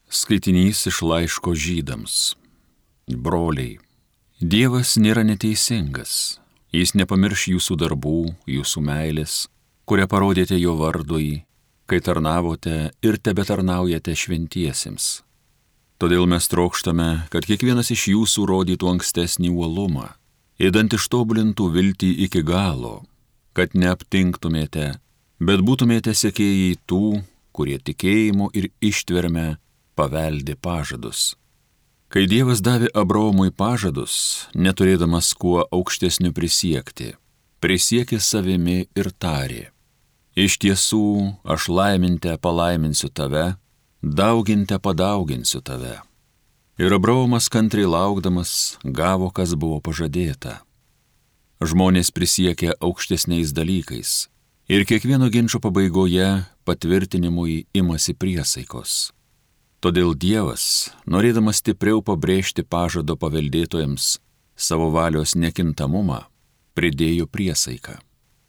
Skaitinys iš laiško Žydams. Broliai, Dievas nėra neteisingas. Jis nepamirš jūsų darbų, jūsų meilės, kurią parodėte jo vardui, kai tarnavote ir tebetarnaujate šventiesiems. Todėl mes trokštame, kad kiekvienas iš jūsų rodytų ankstesnį uolumą, idant ištobulintų viltį iki galo, kad neaptinktumėte, bet būtumėte sekėjai tų, kurie tikėjimu ir ištverme paveldi pažadus. Kai Dievas davė Abraomui pažadus, neturėdamas kuo aukštesniu prisiekti, prisiekė savimi ir tarė: iš tiesų, aš laiminte palaiminsiu tave, dauginte padauginsiu tave. Ir Abraomas kantriai laukdamas gavo, kas buvo pažadėta. Žmonės prisiekė aukštesniais dalykais ir kiekvieno ginčo pabaigoje patvirtinimui imasi priesaikos. Todėl Dievas, norėdamas stipriau pabrėžti pažado paveldėtojams savo valios nekintamumą, pridėjo priesaiką.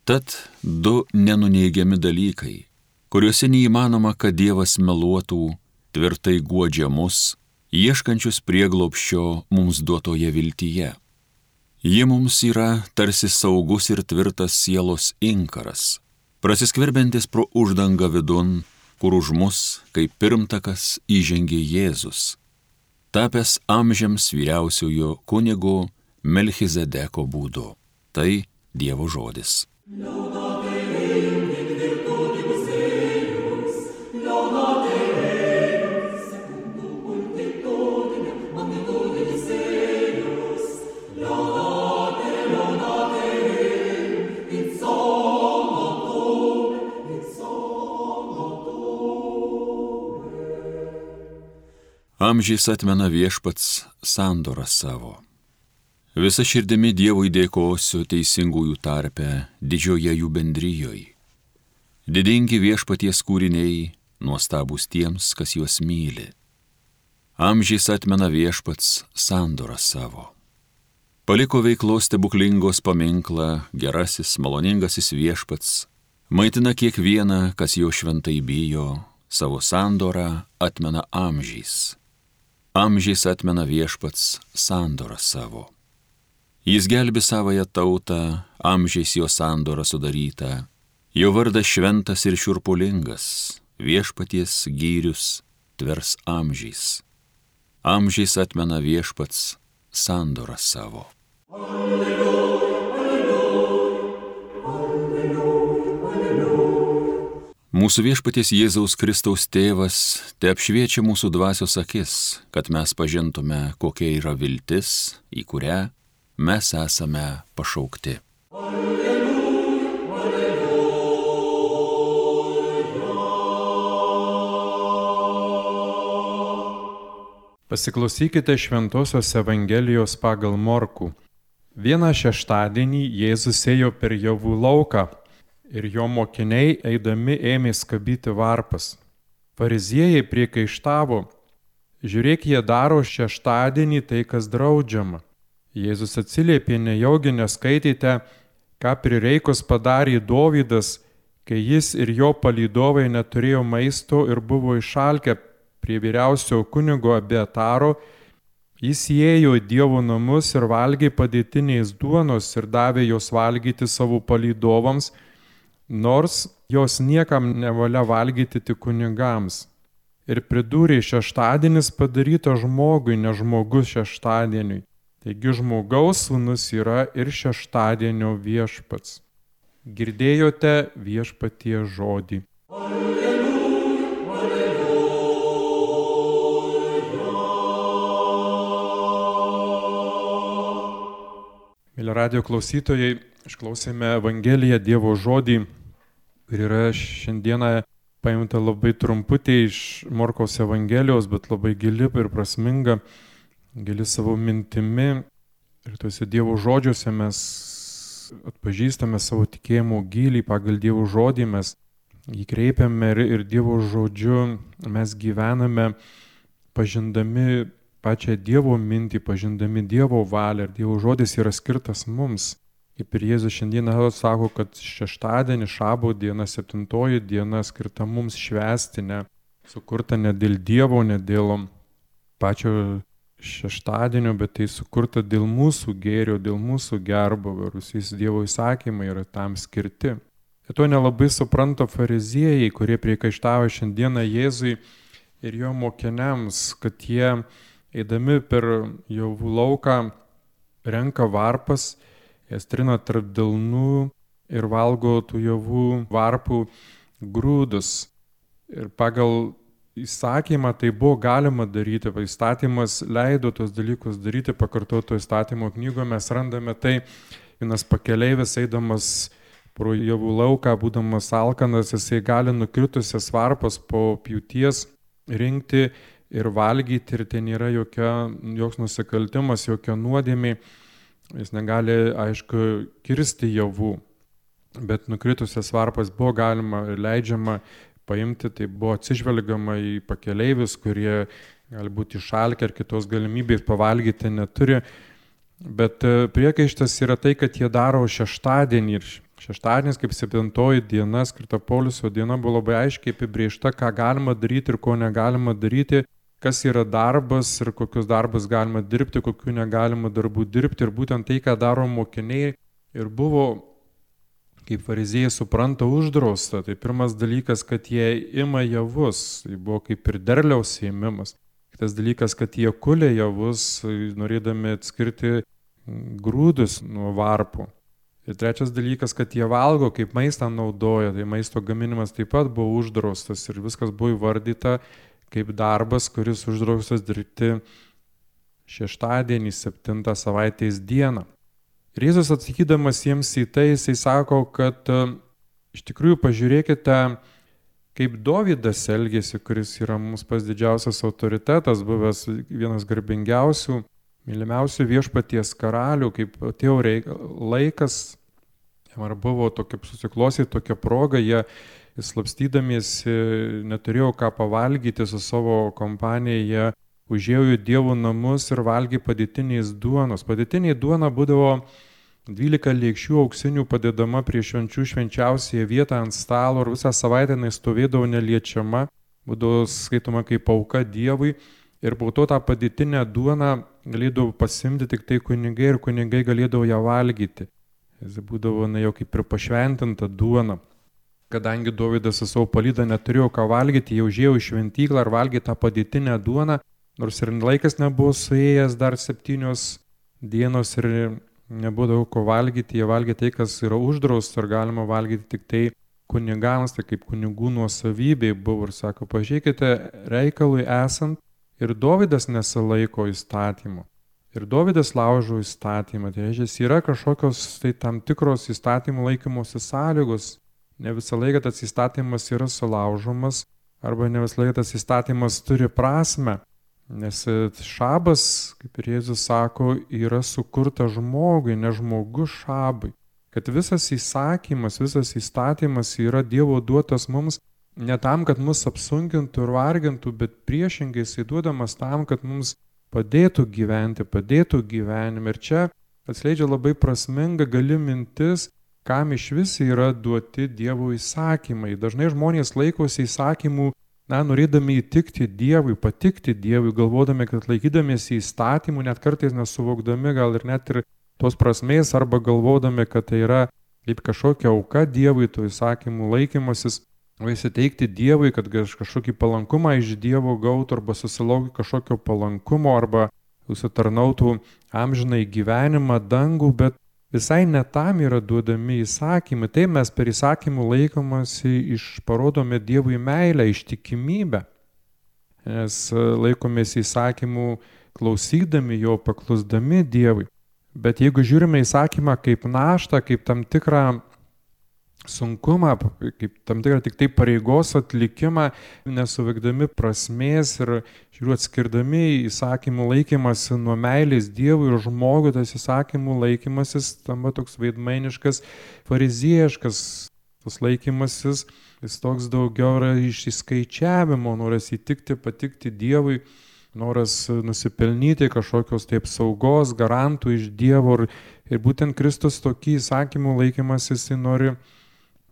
Tad du nenuneigiami dalykai, kuriuose neįmanoma, kad Dievas meluotų, tvirtai guodžia mus, ieškančius prieglobsčio mums duotoje viltyje. Ji mums yra tarsi saugus ir tvirtas sielos inkaras, prasiskverbiantis pro uždangą vidun, kur už mus, kaip pirmtakas, įžengė Jėzus, tapęs amžiams vyriausiojo kunigo Melchizedeko būdu. Tai Dievo žodis. Amžiais atmena viešpats sandorą savo. Visa širdimi Dievui dėkosiu teisingųjų tarpe, didžioje jų bendrijoje. Didingi viešpaties kūriniai, nuostabūs tiems, kas juos myli. Amžiais atmena viešpats sandorą savo. Paliko veiklos stebuklingos paminklą, gerasis, maloningasis viešpats, maitina kiekvieną, kas jo šventai bijo, savo sandorą atmena amžiais. Amžiais atmena viešpats sandorą savo. Jis gelbi savąją tautą, amžiais jo sandorą sudarytą. Jo vardas šventas ir šiurpulingas, viešpaties gyrius tvers amžiais. Amžiais atmena viešpats sandorą savo. Alleluja. Mūsų viešpaties Jėzaus Kristaus tėvas te apšviečia mūsų dvasios akis, kad mes pažintume, kokia yra viltis, į kurią mes esame pašaukti. Alleluja, alleluja. Pasiklausykite Šventosios Evangelijos pagal Morkų. Vieną šeštadienį Jėzus ėjo per javų lauką. Ir jo mokiniai eidami ėmė skabyti varpas. Fariziejai priekaištavo: žiūrėk, jie daro šeštadienį tai, kas draudžiama. Jėzus atsiliepė: nejaugi neskaitėte, ką prireikus padarė Dovydas, kai jis ir jo palydovai neturėjo maisto ir buvo išalkę prie vyriausio kunigo Abiataro. Jis įėjo į Dievo namus ir valgė padėtiniais duonos ir davė jos valgyti savo palydovams, nors jos niekam nevalia valgyti tik kunigams. Ir pridūrė: šeštadienis padarytas žmogui, ne žmogus šeštadieniui. Taigi žmogaus sūnus yra ir šeštadienio viešpats. Girdėjote viešpaties žodį. Alleluja, alleluja. Mėly radijo klausytojai, išklausėme Evangeliją, Dievo žodį, kur yra šiandieną paimta labai trumputė iš Morkaus Evangelijos, bet labai gili ir prasminga, gili savo mintimi. Ir tuose Dievo žodžiuose mes atpažįstame savo tikėjimo gilį, pagal Dievo žodį mes jį kreipiame ir Dievo žodžiu mes gyvename, pažindami pačią Dievo mintį, pažindami Dievo valią. Ir Dievo žodis yra skirtas mums. Kaip ir Jėzus šiandieną sako, kad šeštadienį, šabo diena, 7 diena skirta mums švęsti, ne sukurta ne dėl Dievo, ne dėl pačio šeštadienio, bet tai sukurta dėl mūsų gėrio, dėl mūsų gerbūvio, ir visi Dievo įsakymai yra tam skirti. Ir to nelabai supranta fariziejai, kurie priekaištavo šiandieną Jėzui ir jo mokiniams, kad jie, eidami per javų lauką, renka varpas, jas trina tarp delnų ir valgo tų javų varpų grūdus. Ir pagal įsakymą tai buvo galima daryti, įstatymas leido tos dalykus daryti, pakartoto įstatymo knygoje mes randame tai, vienas pakeleivis eidamas pro javų lauką, būdamas alkanas, jisai gali nukritusias varpas po pjūties rinkti ir valgyti, ir tai nėra joks nusikaltimas, jokia nuodėmė, jis negali, aišku, kirsti javų, bet nukritusias varpas buvo galima ir leidžiama paimti, tai buvo atsižvelgiama į pakeleivius, kurie gali būti išalkę ar kitos galimybės pavalgyti neturi. Bet priekaištas yra tai, kad jie daro šeštadienį. Ir šeštadienis kaip 7 diena, skirta Poilsio diena, buvo labai aiškiai apibrėžta, ką galima daryti ir ko negalima daryti, kas yra darbas ir kokius darbus galima dirbti, kokių negalima darbų dirbti. Ir būtent tai, ką daro mokiniai, ir buvo, kaip fariziejai supranta, uždrausta. Tai pirmas dalykas, kad jie ima javus, tai buvo kaip ir derliaus ėmimas. Kitas dalykas, kad jie kulė javus, norėdami atskirti grūdus nuo varpų. Ir trečias dalykas, kad jie valgo, kaip maistą naudoja, tai maisto gaminimas taip pat buvo uždraustas ir viskas buvo įvardyta kaip darbas, kuris uždraustas dirbti šeštadienį, 7 savaitės dieną. Ir Jėzus atsakydamas jiems į tai, jisai sako, kad iš tikrųjų pažiūrėkite, kaip Dovydas elgėsi, kuris yra mums pats didžiausias autoritetas, buvęs vienas garbingiausių, mylimiausių viešpaties karalių, kaip atėjo laikas, ar buvo susiklostė tokia proga, jie slapstydamiesi neturėjo ką pavalgyti su savo kompanija, jie užėjo į Dievo namus ir valgė padėtiniais duonos. Padėtiniai duona būdavo 12 lėkščių auksinių padedama prie švenčių švenčiausiąją vietą ant stalo ir visą savaitę jinai stovėdavo neliečiama, būdavo skaitoma kaip auka Dievui ir po to tą padėtinę duoną galėdavo pasimti tik tai kunigai ir kunigai galėdavo ją valgyti. Jis būdavo jau kaip ir pašventinta duona. Kadangi Dovydas su savo palyda neturėjo ką valgyti, jau užėjo į šventyklą ir valgė tą padėtinę duoną, nors ir laikas nebuvo suėjęs, dar 7 dienos ir nebūdavo ko valgyti, jie valgė tai, kas yra uždrausta ir galima valgyti tik tai kunigams, tai kaip kunigų nuosavybė buvo. Ir sako, pažiūrėkite, reikalui esant ir Dovydas nesilaiko įstatymų. Ir Dovydas laužo įstatymą. Tai reiškia, yra kažkokios tai tam tikros įstatymų laikymosi sąlygos. Ne visą laiką tas įstatymas yra sulaužomas arba ne visą laiką tas įstatymas turi prasme. Nes šabas, kaip ir Jėzus sako, yra sukurta žmogui, ne žmogus šabui. Kad visas įsakymas, visas įstatymas yra Dievo duotas mums ne tam, kad mus apsunkintų ir vargintų, bet priešingai jisai duodamas tam, kad mums padėtų gyventi, padėtų gyvenime. Ir čia atskleidžia labai prasminga gali mintis, kam iš vis yra duoti Dievo įsakymai. Dažnai žmonės laikosi įsakymų, norėdami įtikti Dievui, patikti Dievui, galvodami, kad laikydamiesi įstatymų, net kartais nesuvokdami gal ir net ir tos prasmės, arba galvodami, kad tai yra kaip kažkokia auka Dievui, tų įsakymų laikymasis, o įsiteikti Dievui, kad kažkokį palankumą iš Dievo gautų, arba susilaukti kažkokio palankumo, arba užsitarnautų amžinai gyvenimą, dangų, bet visai ne tam yra duodami įsakymai. Tai mes per įsakymų laikomasi parodome Dievui meilę, ištikimybę. Nes laikomės įsakymų klausydami jo, paklusdami Dievui. Bet jeigu žiūrime įsakymą kaip naštą, kaip tam tikrą sunkumą, kaip tam tikrą tik tai pareigos atlikimą, nesuvokdami prasmės ir atskirdami įsakymų laikymasi nuo meilės Dievui ir žmogui, tas įsakymų laikymasis tampa toks veidmainiškas, fariziejiškas tas laikymasis, jis toks daugiau yra iš įskaičiavimo, noras įtikti, patikti Dievui, noras nusipelnyti kažkokios taip saugos, garantų iš Dievo ir būtent Kristus tokį įsakymų laikymasis jis nori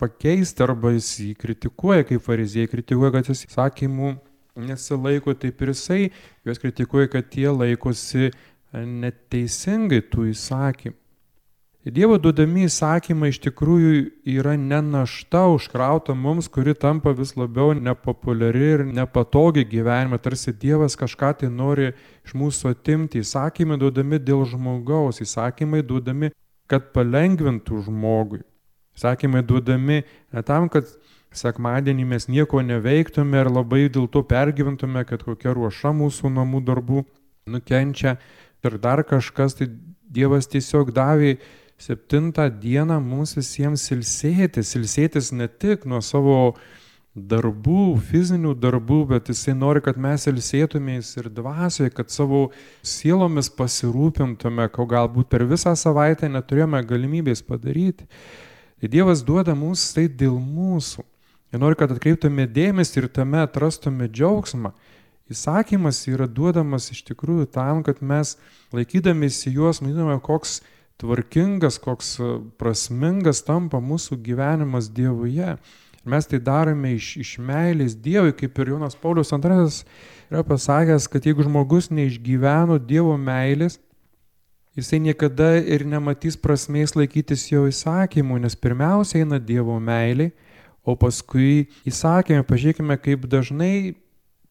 pakeisti, arba jis jį kritikuoja, kaip fariziejai kritikuoja, kad jis įsakymų nesilaiko, taip ir jisai juos kritikuoja, kad jie laikosi neteisingai tų įsakymų. Dievo duodami įsakymai iš tikrųjų yra ne našta užkrauta mums, kuri tampa vis labiau nepopuliari ir nepatogi gyvenime, tarsi Dievas kažką tai nori iš mūsų atimti. Įsakymai duodami dėl žmogaus, įsakymai duodami, kad palengvintų žmogui. Įsakymai duodami ne tam, kad sekmadienį mes nieko neveiktume ir labai dėl to pergyventume, kad kokia ruoša mūsų namų darbų nukenčia ir dar kažkas, tai Dievas tiesiog davė 7 dieną mums visiems ilsėtis ne tik nuo savo darbų, fizinių darbų, bet jisai nori, kad mes ilsėtumės ir dvasioje, kad savo sielomis pasirūpintume, ko galbūt per visą savaitę neturėjome galimybės padaryti. Tai Dievas duoda mums tai dėl mūsų. Ir nori, kad atkreiptume dėmesį ir tame atrastume džiaugsmą. Įsakymas yra duodamas iš tikrųjų tam, kad mes laikydamėsi juos, matydame, koks tvarkingas, koks prasmingas tampa mūsų gyvenimas Dievuje. Mes tai darome iš meilės Dievui, kaip ir Jonas Paulius II yra pasakęs, kad jeigu žmogus neišgyveno Dievo meilės, jisai niekada ir nematys prasmės laikytis jo įsakymų, nes pirmiausia eina Dievo meilė, o paskui įsakymai. Pažiūrėkime, kaip dažnai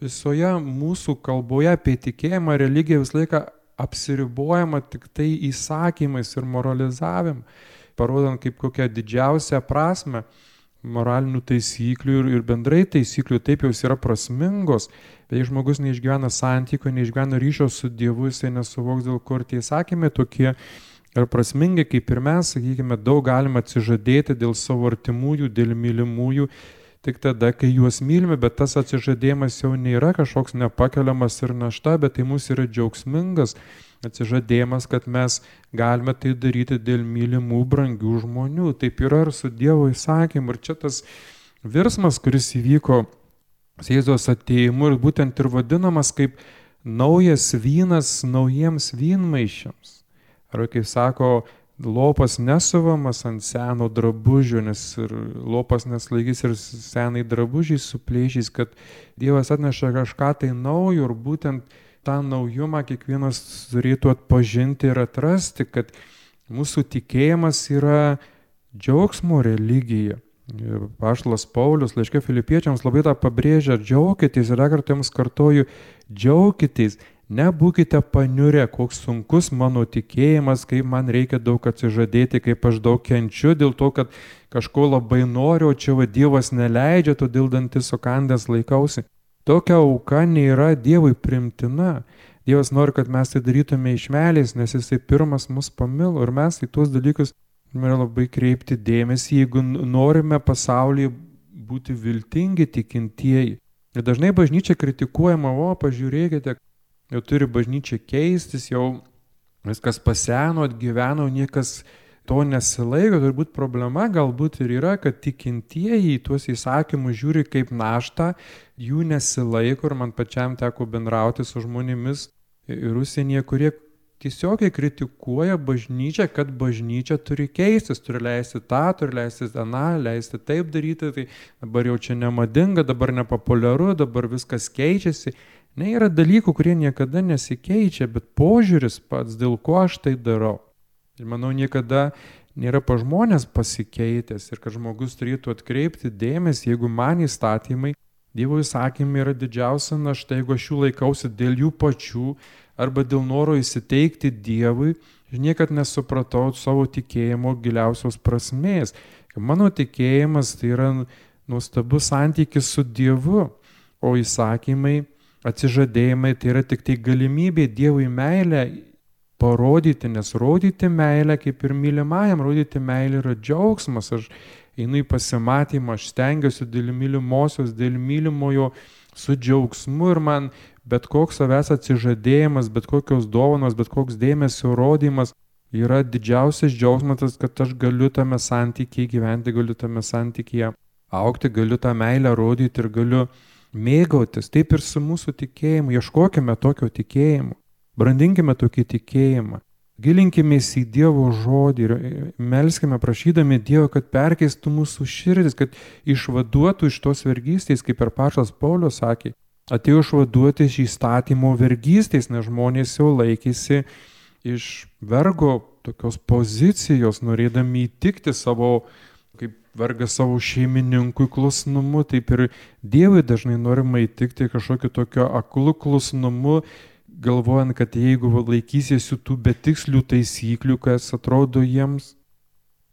visoje mūsų kalboje apie tikėjimą, religiją visą laiką apsiribojama tik tai įsakymais ir moralizavimu, parodant kaip kokią didžiausią prasmę moralinių taisyklių ir bendrai taisyklių, taip jos yra prasmingos, bet jei žmogus neišgyvena santykių, neišgyvena ryšio su Dievu, jisai nesuvoks, dėl ko tie įsakymai tokie ir prasmingi, kaip ir mes, sakykime, daug galime atsižadėti dėl savo artimųjų, dėl mylimųjų, tik tada, kai juos mylime, bet tas atsižadėjimas jau nėra kažkoks nepakeliamas ir našta, bet tai mūsų yra džiaugsmingas atsižadėjimas, kad mes galime tai daryti dėl mylimų, brangių žmonių. Taip yra ir su Dievo įsakymu. Ir čia tas virsmas, kuris įvyko Jėzaus atėjimu ir būtent ir vadinamas kaip naujas vynas naujiems vynmaišiams. Arba kaip sako, lopas nesuvamas ant seno drabužio, nes ir lopas neslaikys ir senai drabužiai suplėšys, kad Dievas atneša kažką tai naujo ir būtent tą naujumą kiekvienas turėtų atpažinti ir atrasti, kad mūsų tikėjimas yra džiaugsmo religija. Apaštalas Paulius laiške Filipiečiams labai tą pabrėžia, džiaukitės, ir dar kartą jums kartoju, džiaukitės. Nebūkite paniurę, koks sunkus mano tikėjimas, kaip man reikia daug atsižadėti, kaip aš daug kenčiu dėl to, kad kažko labai noriu, o čia Dievas neleidžia, todėl dantis sukandęs laikausi. Tokia auka nėra Dievui primtina. Dievas nori, kad mes tai darytume iš meilės, nes jisai pirmas mus pamilo ir mes į tuos dalykus turime labai kreipti dėmesį, jeigu norime pasaulyje būti viltingi tikintieji. Ir dažnai bažnyčia kritikuojama, pažiūrėkite, jau turi bažnyčia keistis, jau viskas paseno, atgyveno, niekas to nesilaiko. Turbūt problema galbūt ir yra, kad tikintieji tuos įsakymus žiūri kaip naštą, jų nesilaiko ir man pačiam teko bendrauti su žmonėmis ir užsienyje, kurie tiesiogiai kritikuoja bažnyčią, kad bažnyčia turi keistis, turi leisti tą, turi leisti aną, leisti taip daryti, tai dabar jau čia nemadinga, dabar nepopuliaru, dabar viskas keičiasi. Ne, yra dalykų, kurie niekada nesikeičia, bet požiūris pats, dėl ko aš tai darau. Ir manau, niekada nėra pa žmonės pasikeitęs ir kad žmogus turėtų atkreipti dėmesį, jeigu man įstatymai, Dievo įsakymai yra didžiausia našta, jeigu aš jų laikausi dėl jų pačių arba dėl noro įsiteikti Dievui, aš niekad nesupratau savo tikėjimo giliausios prasmės. Mano tikėjimas tai yra nuostabus santykis su Dievu, o įsakymai, atsižadėjimai tai yra tik tai galimybė Dievui meilę parodyti, nes rodyti meilę kaip ir mylimajam, rodyti meilę yra džiaugsmas. Aš einu į pasimatymą, aš stengiuosi dėl mylimosios, dėl mylimojo su džiaugsmu ir man bet koks savęs atsižadėjimas, bet kokios dovanos, bet koks dėmesio rodymas yra didžiausias džiaugsmas, kad aš galiu tame santykyje gyventi, galiu tame santykyje augti, galiu tą meilę rodyti ir galiu mėgautis. Taip ir su mūsų tikėjimu, ieškokime tokio tikėjimo, brandinkime tokį tikėjimą, gilinkimės į Dievo žodį ir melskime prašydami Dievo, kad perkeistų mūsų širdis, kad išvaduotų iš tos vergystės, kaip ir apaštalas Paulius sakė, atėjo išvaduoti iš įstatymo vergystės, nes žmonės jau laikėsi iš vergo tokios pozicijos, norėdami įtikti savo, kaip vergas savo šeimininkui klusnumu, taip ir Dievui dažnai norima įtikti kažkokiu tokio aklu klusnumu, galvojant, kad jeigu laikysiesi tų betikslių taisyklių, kas atrodo jiems,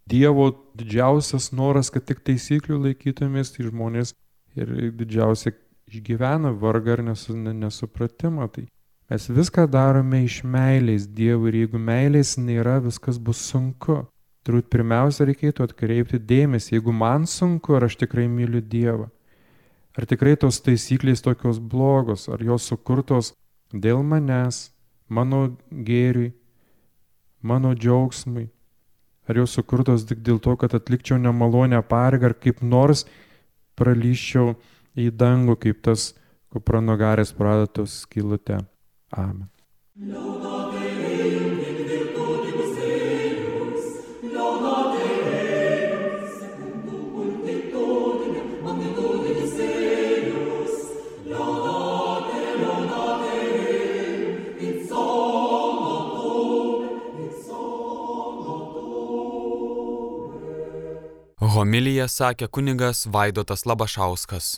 Dievo didžiausias noras, kad tik taisyklių laikytumės, tai žmonės ir didžiausia išgyvena vargą ir nesupratimą. Tai mes viską darome iš meilės Dievui ir jeigu meilės nėra, viskas bus sunku. Turbūt pirmiausia reikėtų atkreipti dėmesį, jeigu man sunku, ar aš tikrai myliu Dievą. Ar tikrai tos taisyklės tokios blogos, ar jos sukurtos dėl manęs, mano gėriui, mano džiaugsmui. Ar jos sukurtos tik dėl to, kad atlikčiau nemalonę pareigą, ar kaip nors pralyščiau į dangų, kaip tas kupranugaris pradatos skylute. Amen. Homiliją sakė kunigas Vaidotas Labašauskas.